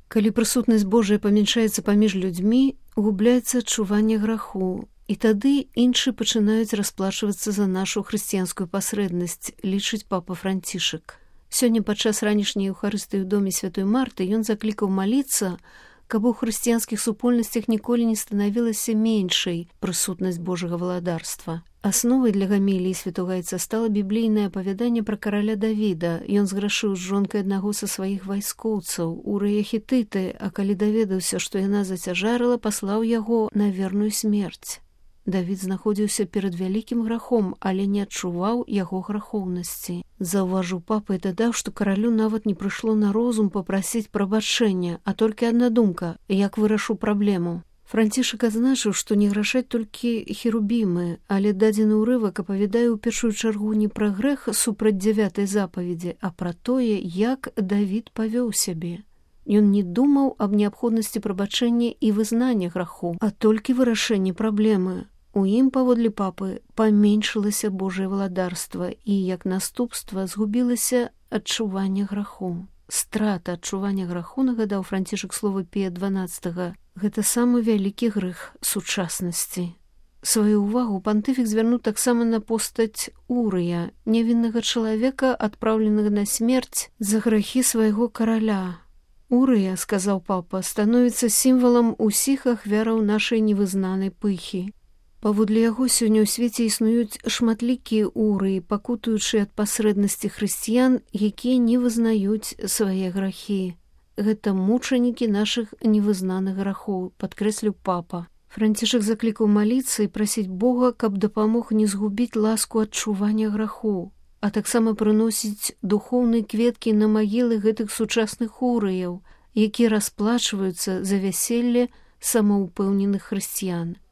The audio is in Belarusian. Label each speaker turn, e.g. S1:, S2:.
S1: Калі прысутнасць Божая памяншаецца паміж людзьмі, губляецца адчуванне граху, і тады іншыя пачынаюць расплачвацца за нашу хрысціянскую пасрэднасць, лічыць папа Францішак. Сёння падчас ранішняй Еўхарыстыі ў доме святой Марты ён заклікаў маліцца, каб у хрысціянскіх супольнасцях ніколі не станавілася меншай прысутнасць Божага валадарства. Асновай для гаміліі святога Айца стала біблійнае апавяданне пра караля Давіда. Ён зграшыў з жонкай аднаго са сваіх вайскоўцаў, Урыя Хітыты, а калі даведаўся, што яна зацяжарыла, паслаў яго на верную смерць. Давід знаходзіўся перад вялікім грахом, але не адчуваў яго грахоўнасці. Заўважыў папа і дадаў, што каралю нават не прыйшло на розум папрасіць прабачэння, а толькі адна думка, як вырашу праблему. Францішак адзначыў, што не грашаць толькі херубімы, але дадзены ўрывак апавядае ў першую чаргу не пра грэх супраць 9-й запаведзі, а пра тое, як Давід павёў сябе. Ён не думаў аб неабходнасці прабачэння і вызнання граху, а толькі вырашэння праблемы. У ім, паводле папы, паменшылася Божае валадарства і, як наступства, згубілася адчуванне граху. Страта адчування граху, нагадаў Францішак слова Пія XII, гэта самы вялікі грэх сучаснасці. Сваю ўвагу пантыфік звярнуў таксама на постаць Урыя, нявіннага чалавека, адпраўленага на смерць за грахі свайго караля. Урыя, сказаў папа, становіцца сімвалам усіх ахвяраў нашай невызнанай пыхі. Паводле яго сёння ў свеце існуюць шматлікія урыі, пакутуючы ад пасрэднасці хрысціян, якія не вызнаюць свае грахі. Гэта мучанікі нашых невызнаных грахоў, падкрэсліў папа. Францішак заклікаў маліцца і прасіць Бога, каб дапамог не згубіць ласку адчування граху, а таксама прыносіць духоўныя кветкі на магілы гэтых сучасных урыяў, якія расплачваюцца за вяселле самаўпэўненых хрысціян.